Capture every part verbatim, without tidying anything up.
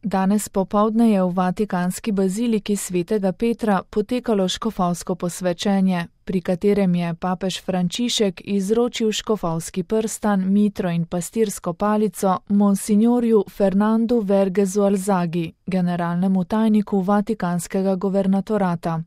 Danes popoldne je v vatikanski baziliki svetega Petra potekalo škofovsko posvečenje, pri katerem je papež Frančišek izročil škofovski prstan, mitro in pastirsko palico monsignorju Fernandu Vergezu Alzagi, generalnemu tajniku vatikanskega guvernatorata.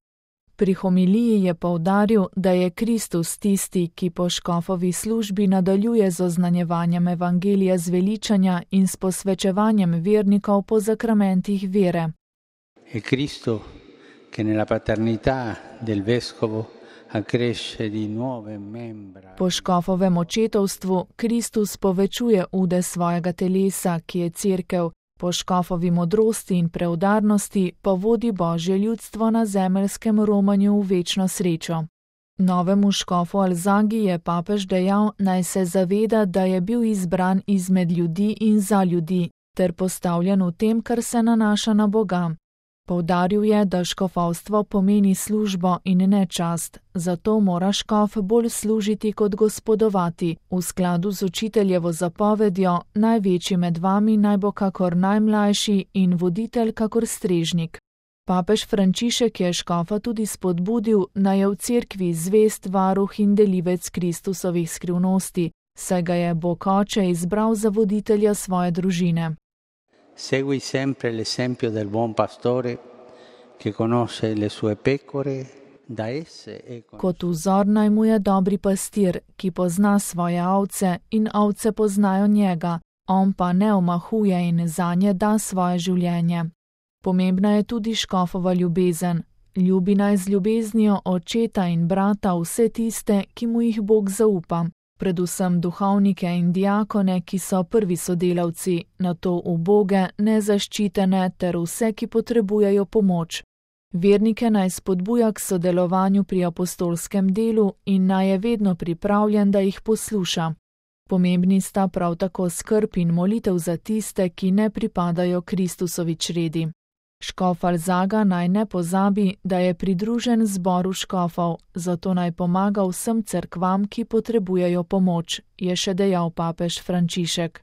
Pri homiliji je poudaril, da je Kristus tisti, ki po škofovi službi nadaljuje z oznanjevanjem evangelija zveličanja in s posvečevanjem vernikov po zakramentih vere. Je Cristo, ki nella paternità del vescovo accresce di nuove membra. Po škofovem očetovstvu Kristus povečuje ude svojega telesa, ki je cerkev. Po škofovi modrosti in preudarnosti pa vodi Božje ljudstvo na zemeljskem romanju v večno srečo. Novemu škofu Alzagi je papež dejal, naj se zaveda, da je bil izbran izmed ljudi in za ljudi, ter postavljen v tem, kar se nanaša na Boga. Poudaril je, da škofovstvo pomeni službo in ne čast, zato mora škof bolj služiti kot gospodovati, v skladu z učiteljevo zapovedjo, največji med vami naj bo kakor najmlajši in voditelj kakor strežnik. Papež Frančišek je škofa tudi spodbudil, naj je v cerkvi zvest varuh in delivec Kristusovih skrivnosti, saj ga je Bog Oče izbral za voditelja svoje družine. Segui sempre l'esempio del buon pastore che conosce le sue pecore, da esse è Kot vzor naj mu je dobri pastir, ki pozna svoje ovce in ovce poznajo njega, on pa ne omahuje in zanje da svoje življenje. Pomembna je tudi škofova ljubezen. Ljubi naj z ljubeznijo očeta in brata vse tiste, ki mu jih Bog zaupa. Predvsem duhovnike in diakone, ki so prvi sodelavci, nato uboge, nezaščitene ter vse, ki potrebujejo pomoč. Vernike naj spodbuja k sodelovanju pri apostolskem delu in naj je vedno pripravljen, da jih posluša. Pomembni sta prav tako skrb in molitev za tiste, ki ne pripadajo Kristusovi čredi. Škof Alzaga naj ne pozabi, da je pridružen zboru škofov, zato naj pomaga vsem cerkvam, ki potrebujejo pomoč, je še dejal papež Frančišek.